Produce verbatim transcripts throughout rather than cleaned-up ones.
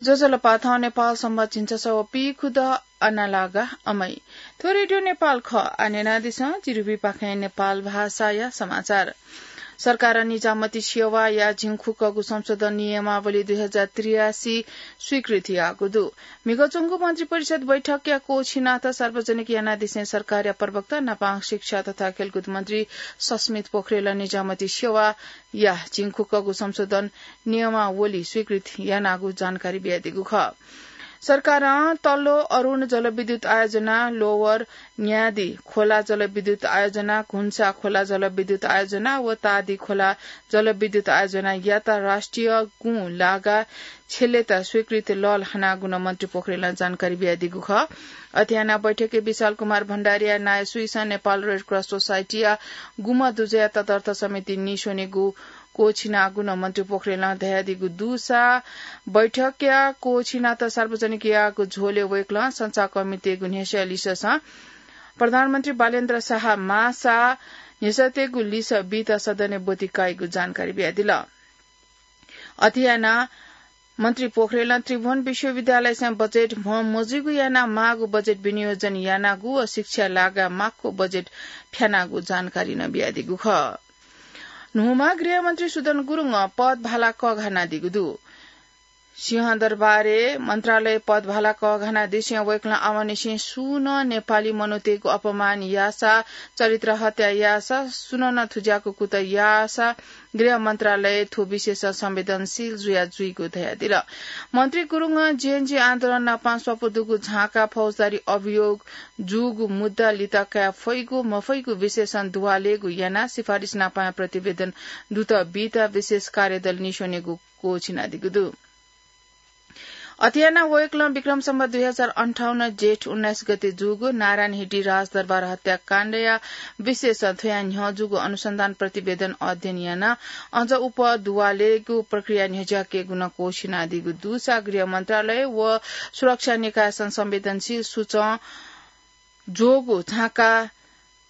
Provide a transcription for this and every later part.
ज्वजलपा, थौं नेपाल संवत् झिंछसः व पीखुदँ अनालागा अमै। थ्व रेडियो नेपाल खः। आः न्यनादिसँ, जिरुबी पाखें नेपाल भाषाया समाचार। सरकारं निजामती सेवाया झिंखुक्कगु संशोधन नियमावली दुई हजार त्रियासी स्वीकृति याःगु दु। म्हिगः च्वंगु मन्त्रिपरिषद बैठकया क्वःछिनात सार्वजनिक यानादिसें सरकारया प्रवक्ता नापं शिक्षा तथा खेलकुद मन्त्री सस्मित पोखरेलं निजामती सेवाया झिंखुक्कगु संशोधन नियमावली स्वीकृत यानागु जानकारी बियादीगु खः। सरकारं तल्लो अरुण जलविद्युत आयोजना, लोवर न्यादी खोला जलविद्युत आयोजना, घुन्सा खोला जलविद्युत आयोजना व तादी खोला जलविद्युत आयोजनायात राष्ट्रिय गुँ लागा छ्यलेत स्वीकृत लल हनागु नं मन्त्री पोखरेलं जानकारी बियादीगु खः। अथे यानाः बैठकय् विशाल कुमार भण्डारीया नायःसुइसं नेपाल रेड क्रस सोसाइटीया गुम्ह दुजःया तदर्थ समिति नीस्वनेगु क्वःछिनागु नं मन्त्री पोखरेलं धयादीगु दुसा बैठकया क्वःछिनात सार्वजनिक याःगु झ्वलय् वय्कलं संचारकर्मीतय्गु न्ह्यसः लिससं प्रधानमन्त्री बालेन्द्र शाह माःसा न्ह्यसःतय्गु लिसः बीत सदनय् ब्वति काइगु जानकारी बियादिल। अथे यानाः मन्त्री पोखरेलं त्रिभुवन विश्वविद्यालयसं बजेट म्ह मजुइगु यानाः माःगु बजेट विनियोजन यानागु व शिक्षा लागा माक्व बजेट फ्यानागु जानकारी नं बियादीगु खः। न्हूम्ह गृहमन्त्री सुदन गुरुङं पदभाला कःघानादीगु दु। सिंहदरबारय् मन्त्रालय पदभाला कःघानादिसें वय्कलं आवंनिसें सुं नं नेपाली मनूतय्गु अपमान याःसा, चरित्र हत्या याःसा, सुनं नं थुज्याःगु कुतः याःसा गृह मन्त्रालय थ्व विषयसं संवेदनशील जुया जुइगु धयादिल। मन्त्री गुरुङं जेएनजी आन्दोलन नापं स्वापू दुगु झाँका फौजदारी अभियोग जूगु मुद्दा लित काये फइगु मफइगु विषयसं दुवालेगु यानाः सिफारिस नापं प्रतिवेदन दुत बीत विशेष कार्यदल नीस्वनेगु क्वःछिनादीगु दु। अथे यानाः वय्कलं विक्रम सम्वत दुई हजार अन्ठाउन्न जेठ उन्नाइस गते जूगु नारायण हिटी राजदरबार हत्याकाण्डया विषयसं थ्वया न्ह्यः जूगु अनुसन्धान प्रतिवेदन अध्ययन यानाः अझ उप दुवालेगु प्रक्रिया न्ह्यज्याकेगु नं क्वःछिनादीगु दुसा गृह मन्त्रालय व सुरक्षा निकायसं संवेदनशील सुचं ज्वःगु झाँका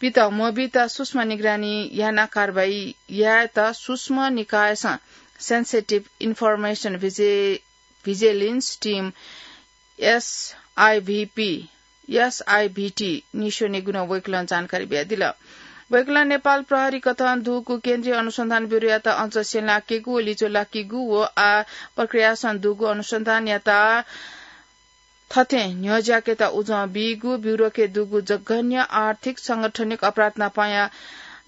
पित मबीत सूक्ष्म निगरानी यानाः कारवाही यायेत सूक्ष्म निकायसं Sensitive Information Vigi-, Vigilance Team, एसआइभीपी, एसआइभीटी, नीस्वनेगु नं वय्कलं जानकारी बियादिल। वय्कलं नेपाल प्रहरी कथं दुगु केन्द्रीय अनुसन्धान ब्यूरोयात अझ स्यंलाकेगु व लिच्वलाकेगु व आः प्रक्रियासं दुगु अनुसन्धानयात थथे न्ह्यज्याकेत उजं बीगु, ब्यूरोके दुगु जघन्य आर्थिक संगठनिक अपराध नापंया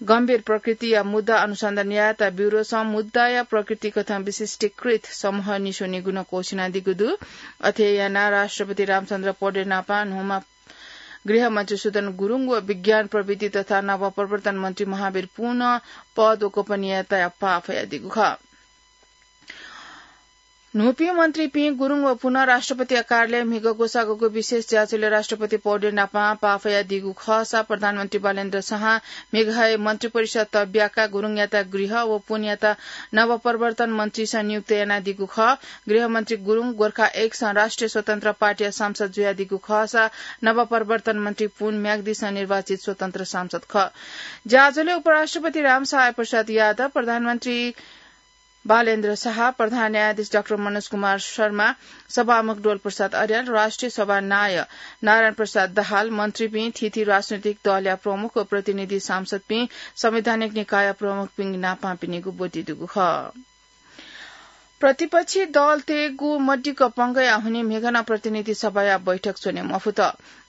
गम्भीर प्रकृतिया मुद्दा अनुसन्धान यायेत ब्यूरोसं मुद्दाया प्रकृति कथं विशिष्टीकृत समूह नीस्वनेगु नं क्वःछिनादीगु दु। अथे यानाः राष्ट्रपति रामचन्द्र पौडेल नापं न्हूम्ह गृहमन्त्री सुदन गुरुङ व विज्ञान प्रविधि तथा नवप्रवर्तन मन्त्री महावीर पुनं पद व गोपनीयताया पाः फयादीगु खः। न्हूपिं मन्त्रीपिं गुरुङ व पुनं राष्ट्रपतिया कार्यालय म्हिगः ग्वसाःगु विशेष ज्याझ्वलय् राष्ट्रपति पौडेल नापं पाः फयादीगु खःसा प्रधानमन्त्री बालेन्द्र शाहं म्हिगः हे मन्त्रिपरिषद तब्याकाः गुरुङयात गृह व पुनयात नवप्रवर्तन मन्त्रीसं नियुक्त यानादीगु खः। गृहमन्त्री गुरुङ गोर्खा एकसं राष्ट्रिय स्वतन्त्र पार्टीया सांसद जुयादीगु खःसा नवप्रवर्तन मन्त्री पुन म्याग्दीसं निर्वाचित स्वतन्त्र सांसद खः। ज्याझ्वलय् उपराष्ट्रपति रामसहाय प्रसाद यादव, प्रधानमन्त्री बालेन्द्र शाह, प्रधान न्यायाधीश डाक्टर मनोज कुमार शर्मा, सभामुख डोल प्रसाद अर्याल, राष्ट्रिय सभा नायः नारायण प्रसाद दाहाल, मन्त्रीपिं, थीथी राजनैतिक दलया प्रमुख व प्रतिनिधि सांसदपिं, संवैधानिक निकाय प्रमुखपिं नापं पिनिगु ब्वति दुगु खः। प्रतिपक्षी दलतय्गु मदिक्क पंगःया हुनिं म्हिगः नं प्रतिनिधि सभाया बैठक च्वने मफुत।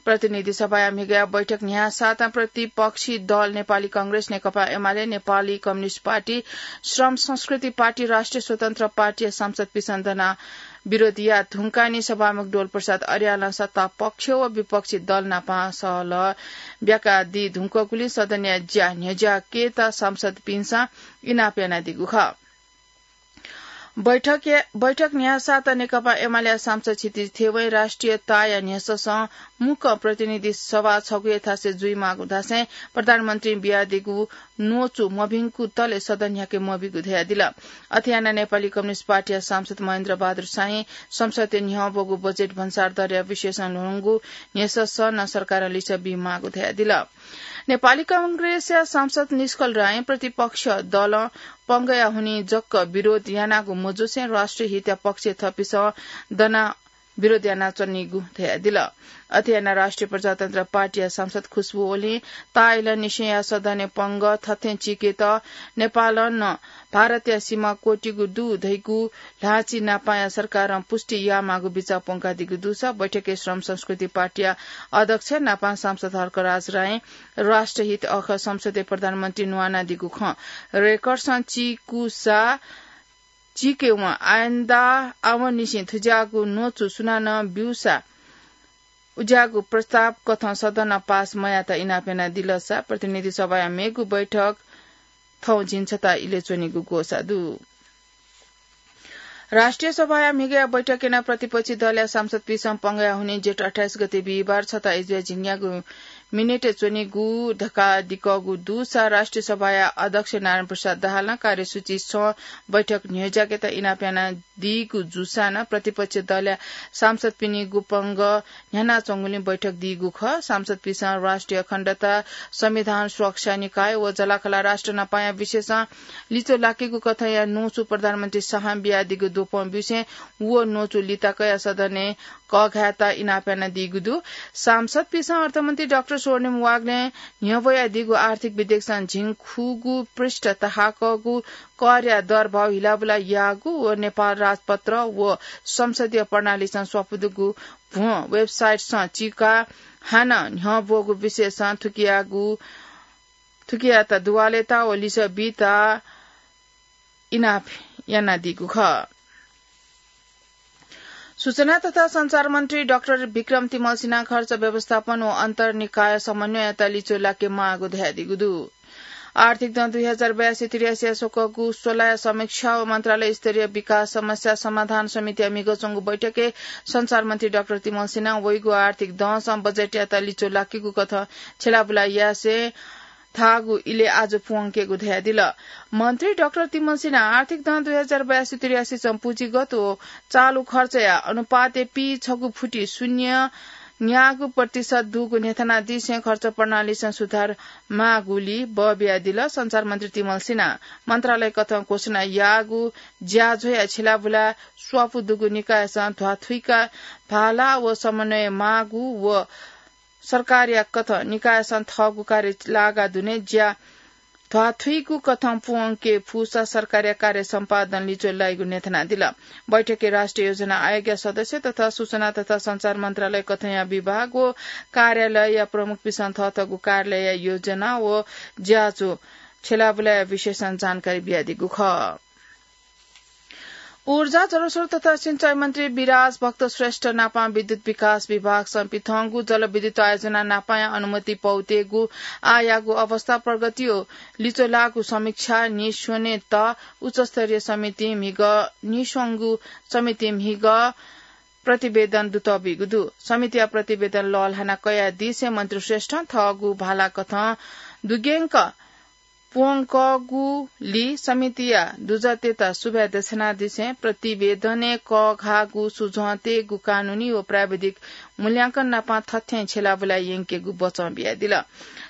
प्रतिनिधि सभाया म्हिगःया बैठक न्ह्यासातां प्रतिपक्षी दल नेपाली कांग्रेस, नेकपा एमाले, नेपाली कम्युनिस्ट पार्टी, श्रम संस्कृति पार्टी, राष्ट्रिय स्वतन्त्र पार्टीया सांसदपिसं दनाः विरोध याये धुंकाः नि सभामुख डोल प्रसाद अर्यालं सत्ता पक्ष व विपक्षी दल नापं सहलह ब्याकादी धुंकूगुलिं सदनया ज्या न्ह्यज्याकेत सांसदपिन्सं इनाप यानादीगु खः। बैठक, बैठक न्ह्यासातां नेकपा एमालेया सांसद क्षितिज थेवंया राष्ट्रियताया न्ह्यससं मुक्कं प्रतिनिधि सभा छगू हे थासय् जुइमाःगु धासें प्रधानमन्त्रीं बियादीगु न्वचु मभिंकु तले सदन न्ह्याके मबीगु धयादिल। अथे यानाः नेपाली कम्युनिस्ट पार्टीया सांसद महेन्द्र बहादुर शाही संसदय् न्ह्यः ब्वःगु बजेट भन्सार दरया विषयसं ल्ह्वंगु न्ह्यसः सः नं सरकारं लिसः बीमाःगु धयादिल। नेपाली कांग्रेसया सांसद निष्कल रायं प्रतिपक्ष दलं पंगया हुनिं जक विरोध यानागु मजुसें राष्ट्रिय हितया पक्षय् थःपिसं दनाः विरोध यानाच्वनीगु धयादिल। अथे यानाः राष्ट्रिय प्रजातन्त्र पार्टीया सांसद खुशबु ओलीं ताःइलंनिसेंया सदनय् पंग थथें चीकेत नेपालं नं भारतया सीमा क्वःतिगु दु धइगु ल्हाःचिनापांया सरकारं पुष्टि यायेमाःगु बिचाः प्वंकादीगु दुसा बैठकय् श्रम संस्कृति पार्टीया अध्यक्ष नापं सांसद हर्कराज रायं राष्ट्रहित अःखः संसदय् प्रधानमन्त्री न्वानादीगु खँ रेकर्डसं चीकूसा चीकेवं आइन्दा आवंनिसें थुज्याःगु न्वचु सुनानं ब्यूसा उज्याःगु प्रस्ताव कथं सदनं पास मयात इनाप यानादिलसा प्रतिनिधि सभाया मेगु बैठक थौं झिंछता इलय् च्वनीगु ग्वसाः दु। राष्ट्रिय सभाया म्हिगःया बैठकय् नं प्रतिपक्षी दलया सांसदपिसं पंगया हुनिं जेठ अट्ठाइस गते बिहिबार छता इजुया झिंन्यागू मिनेटय् च्वनीगु धकाः दिकःगु दुसा राष्ट्रिय सभाया अध्यक्ष नारायण प्रसाद दाहालं कार्यसूची सं बैठक न्ह्यज्याकेत इनाप यानादीगु जूसां नं प्रतिपक्षी दलया सांसदपिनि गुपंग न्ह्यानाच्वंगुलिं बैठक दीगु खः। सांसदपिसं राष्ट्रिय अखण्डता, संविधान सुरक्षा निकाय व जलाखला राष्ट्र नापांया विषयसं लिच्वः लाकेगु कथंया न्वचु प्रधानमन्त्री शाहं बियादीगु द्वपं ब्यूसें व न्वचु लिताकया सदनय् कःघायेत इनाप यानादीगु दु। सांसदपिसं अर्थमन्त्री डाक्टर स्वर्णिम वाग्लें न्ह्यब्वयादीगु आर्थिक विधेयकसं झिंखुगू पृष्ठ तहाकःगु करया दरभाव हिलाबुला याःगु व नेपाल राजपत्र व संसदीय प्रणालीसं स्वापू दुगु भ्वं वेबसाइटसं चीकाः हानं न्ह्यब्वःगु विषयसं थुकियागु, थुकियात दुवालेत व लिसः बीत इनाप यानादीगु खः। सूचना तथा सञ्चार मन्त्री डाक्टर विक्रम तिमल सिन्हां खर्च व्यवस्थापन व अन्तर्निकाय समन्वययात लिच्वः लाकेमाःगु धयादीगु दु। आर्थिक दँ दुई हजार बयासी त्रियासीया स्वकःगु स्वलाया समीक्षा व मन्त्रालय स्तरीय विकास समस्या समाधान समितिया म्हिगः च्वंगु बैठकय् सञ्चार मन्त्री डाक्टर तिमल सिन्हां वइगु आर्थिक दँसं बजेटयात लिच्वः लाकेगु कथं छ्यलाबुला यासें धाःगु इलय् आजु पूवंकेगु धयादिल। मन्त्री डाक्टर तिमल सिन्हां आर्थिक दँ दुई हजार बयासी त्रियासीसं पुँजीगत व चालु खर्चया अनुपातय् पीछगू फुति शून्य न्यागू प्रतिशत दुगु न्ह्यथनादिसें खर्च प्रणालीसं सुधार माःगुलि बः बियादिल। सञ्चार मन्त्री तिमल सिन्हां मन्त्रालय कथं घोषणा याःगु ज्याझ्वःया छ्यलाबुला स्वापू दुगु निकायसं ध्वाथुइका भाला व समन्वय माःगु व सरकारया कथं निकायसं थःगु कार्य लागा दुने ज्या ध्वाथुइगु कथं पूवंके फुसा सरकारया कार्य सम्पादन लिच्वः लाइगु न्ह्यथनादिल। बैठकय् राष्ट्रिय योजना आयोगया सदस्य तथा सूचना तथा सञ्चार मन्त्रालय कथंया विभाग व कार्यालयया प्रमुखपिसं थःथःगु कार्यालयया योजना व ज्याझ्वः छ्यलाबुलाया विषयसं जानकारी बियादीगु खः। ऊर्जा, जलस्रोत तथा सिंचाई मन्त्री विराज भक्त श्रेष्ठ नापं विद्युत विकास विभागसं पिथंगु जलविद्युत आयोजना नापंया अनुमति पौतेगु आःयागु अवस्था प्रगति व लिच्वः लाःगु समीक्षा नीस्वनेत उच्चस्तरीय समिति म्हिगः नीस्वंगु समिति म्हिगः प्रतिवेदन दुतःबीगु दु। समितिया प्रतिवेदन लःल्हाना कयादिसें मन्त्री श्रेष्ठं थःगु भाला कथं दुग्यंक पूवंकःगुलि समितिया दुजःतय्त सुभाय् देछानादिसें प्रतिवेदनय् कःघाःगु सुझं तयेगु कानूनी व प्राविधिक मूल्यांकन नापं थथें छ्यलाबुला यंकेगु बचं बियादिल।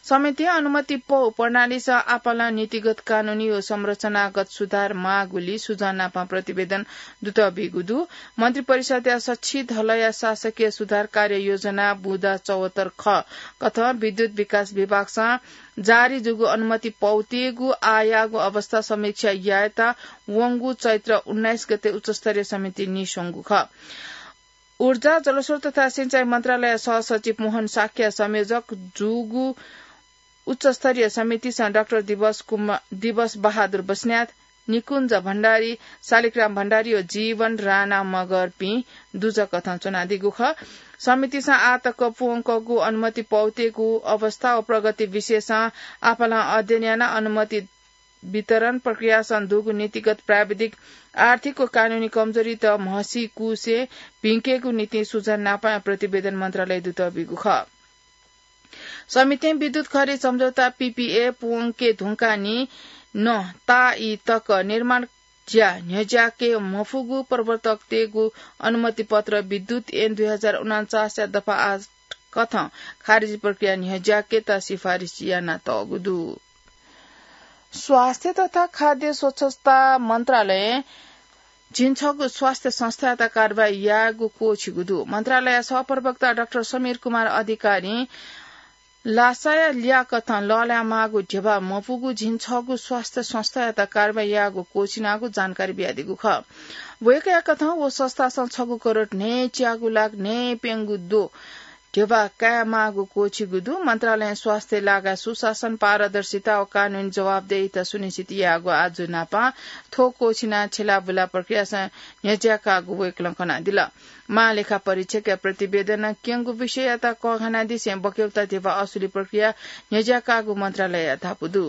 समितिं अनुमति पौ प्रणालीसं आपालं नीतिगत कानूनी व संरचनागत सुधार माःगुलि सुझं नापं प्रतिवेदन दुतःबीगु दु। मन्त्रिपरिषदया सछि धलया शासकीय सुधार कार्य योजना बुँदा चौहत्तर ख कथं विद्युत विकास विभागसं जारी जूगु अनुमति पौतेगु आःयागु अवस्था समीक्षा यायेत वंगु चैत्र उन्नाइस गते उच्चस्तरीय समिति नीस्वंगु खः। ऊर्जा, जलस्रोत तथा सिंचाई मन्त्रालय सहसचिव मोहन शाक्य संयोजक जूगु उच्चस्तरीय समितिसं डाक्टर दिवस कुमा-, दिवस बहादुर बस्नेत, निकुञ्ज भण्डारी, शालिग्राम भण्डारी व जीवन राणा मगरपिं दुजःकथं च्वनादीगु खः। समितिसं आः तक पूवंकःगु अनुमति पौतेगु अवस्था व प्रगति विषयसं आपालं अध्ययन यानाः अनुमति वितरण प्रक्रियासं दुगु नीतिगत, प्राविधिक, आर्थिक व कानूनी कमजोरीत म्हसीकुसे भिंकेगु निंतिं सुझन नापं प्रतिवेदन मन्त्रालय दुतःबीगु खः। समितिं विद्युत खरिद सम्झौता, पीपीए, पूवंके धुंकाः नं ताःई तक निर्माण ज्या न्ह्यज्याके मफुगु प्रवर्तकतय्गु अनुमति पत्र विद्युत ऐन दुई हजार उनान्चास या दफा आठ कथं खारिज प्रक्रिया न्ह्यज्याकेत सिफारिस यानातःगु दु। स्वास्थ्य तथा खाद्य स्वच्छता मन्त्रालयं झिंछगू स्वास्थ्य संस्थायात कारवाही यायेगु क्वःछिगु दु। मन्त्रालय सहप्रवक्ता डाक्टर समीर कुमार अधिकारीं लासाया लियाकथं लःल्हायेमाःगु ध्यबा मफुगु झिंछगू स्वास्थ्य संस्थायात कारवाही यायेगु क्वःछिनागु जानकारी बियादीगु खः। वय्कःया कथं व संस्थासं छगू करोड न्हय्च्यागु लाख न्हय्प्यंगू द्वः ध्यबा कायेमाःगु क्वःछिगु दु। मन्त्रालयं स्वास्थ्य लागाय् सुशासन, पारदर्शिता व कानूनी जवाफदेहिता सुनिश्चित यायेगु आज्जु न्हापां थ्व क्वःछिनाः छ्यलाबुला प्रक्रियासं न्ह्यज्याकागु वय्कलं कनादिल। महालेखा परीक्षकया प्रतिवेदनं क्यंगु विषययात कःघानादिसें बक्यौता ध्यबा असुली प्रक्रिया न्ह्यज्याकागु मन्त्रालयया धापू दु।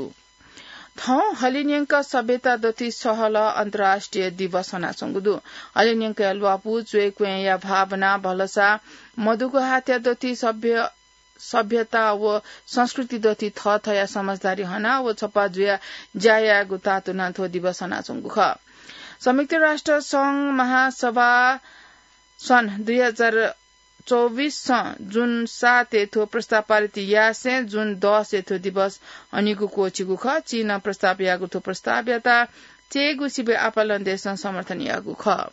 थौं हलिंन्यंक सभ्यता दथुइ सहलह अन्तर्राष्ट्रिय दिवस हनाच्वंगु दु। हलिंन्यंकया ल्वापु, च्वय्क्वँया भावना, भलसा, मदुगु हाथया दथुइ सभ्य, सभ्यता व संस्कृति दथुइ थःथःया समझदारी हनाः व छप्पा जुयाः ज्या यायेगु तातुनां थ्व दिवस हनाच्वंगु खः। संयुक्त राष्ट्र संघ महासभा सन् दुई हजार चौबिसं जुन सातय् थ्व प्रस्ताव पारित यासें जुन दसय् थ्व दिवस हनीगु क्वःछिगु खः। चीनं प्रस्ताव याःगु थ्व प्रस्तावयात चय्गु सिबय् आपालं देशं समर्थन याःगु खः।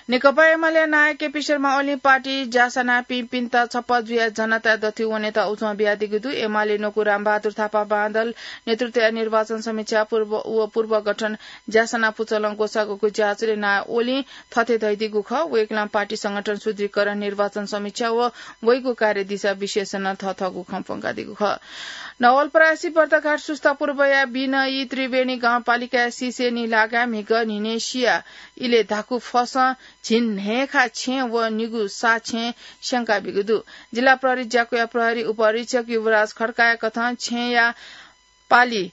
नेकपा एमालेया नायः केपी शर्मा ओलीं पार्टी ज्यासानापिंपिन्त छप्पा जुयाः जनताया दथुइ वनेत उजं बियादीगु दु। एमाले न्वकू रामबहादुर थापा बांदल नेतृत्वया निर्वाचन समीक्षा पूर्व व पूर्व गठन ज्यासाना पुचलं ग्वसाःगु ज्याझ्वलय् नायः ओलीं थथे धयादीगु खः। वय्कलं पार्टी संगठन सुदृढीकरण, निर्वाचन समीक्षा व वइगु कार्यदिशा विशेषं थःथःगु खँ प्वंकादीगु खः। नवलपरासी बर्तघाट सुस्ता पूर्वया बिनयी त्रिवेणी गाउँपालिकाया सिसेनी लागाय् म्हिगः न्हिनेसिया इलय् धाकु फसं झिंन्हय्खा छेँ व निगू सा छेँ स्यंकाबीगु दु। जिल्ला प्रहरी ज्याकुया प्रहरी उपअधीक्षक युवराज खड्काया कथं छेँया पालि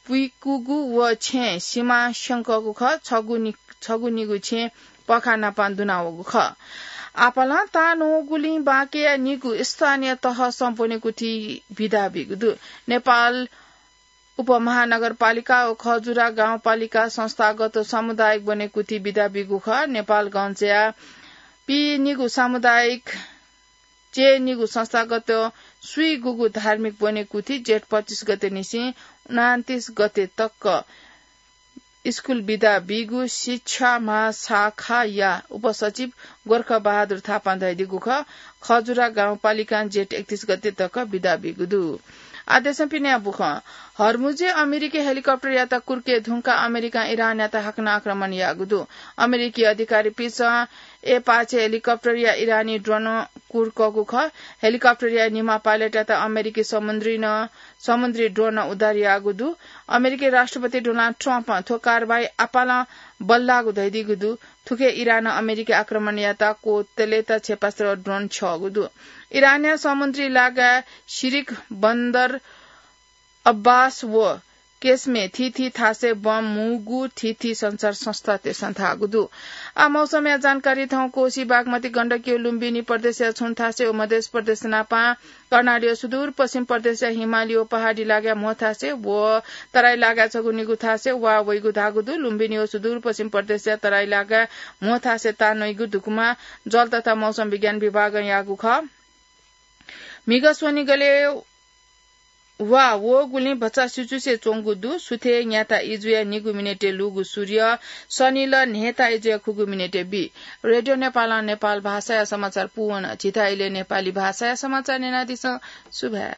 पुइकूगु व छेँ सिमा स्यंकःगु खः। छगू नि-, छगू निगू छेँ पखा नापां दुनावःगु खः। आपालं ताःन्वःगुलिं बाँकेया निगू स्थानीय तहसं ब्वनेकुथि बिदा बीगु दु। नेपाल उपमहानगरपालिका व खजुरा गाउँपालिका संस्थागत सामुदायिक ब्वनेकुथि बिदा बीगु खः। नेपालगंजया पीनिगू सामुदायिक चय्निगू संस्थागत स्वीगूगू धार्मिक ब्वनेकुथि जेठ पच्चिस गते निसें उनान्तिस गते तक स्कूल बिदा बीगु शिक्षा महाशाखाया उपसचिव गोर्ख बहादुर थापां धयादीगु खः। खजुरा गाउँपालिकां जेठ एकतीस गते तक बिदा बीगु दु। आदेशं पिने बुखं हर्मुजे अमेरिकी हेलिकप्टरयात कुर्के धुंका अमेरिकां इरानयात हाकनं आक्रमण याःगु दु। अमेरिकी अधिकारीपिन्सं एपाचे हेलिकप्टरया इरानी ड्रोन कुर्कःगु खः। हेलिकप्टरया निम्ह पाइलटयात अमेरिकी समुद्री न-, समुद्री ड्रोनं उद्धार याःगु दु। अमेरिकी राष्ट्रपति डोनाल्ड ट्रम्पं थ्व कारवाही आपालं बल्लाःगु धयादीगु दु। थुखे इरानं अमेरिकी आक्रमणयात क्वतलेत क्षेपणास्त्र ड्रोन छ्यःगु दु। इरानया समुद्री लागाय् सिरिक बन्दर अब्बास व केसमे थीथी थासय् बम मुंगु थीथी संचार संस्थातय्सं धाःगु दु। आ मौसमया जानकारी थौं कोसी बागमती गण्डकी व लुम्बिनी प्रदेशया छुं थासय् व मध्य प्रदेश नापां कर्णाली व सुदूरपश्चिम प्रदेशया हिमाली व पहाडी लागाय् म्हो थासय् व तराई लागाय् छगू निगू थासय् वा वइगु धाःगु दु। लुम्बिनी व सुदूरपश्चिम प्रदेशया तराई लागाय् म्हो थासय् तान्वइगु धुकुमा जल तथा मौसम विज्ञान विभागं याःगु खः। म्हिगः स्वनिगलय् वा वःगुलिं भचा सिचुसे च्वंगु दु। सुथय् न्याता इजुया निगू मिनेटय् लूगु सूर्य सनिल न्हय्ता इजुया खुगू मिनेटय् बी। रेडियो नेपालं नेपाल भाषाया समाचार पूवन। झीथाय् इलय् नेपाली भाषाया समाचार न्यनादिसँ। सुभाय्।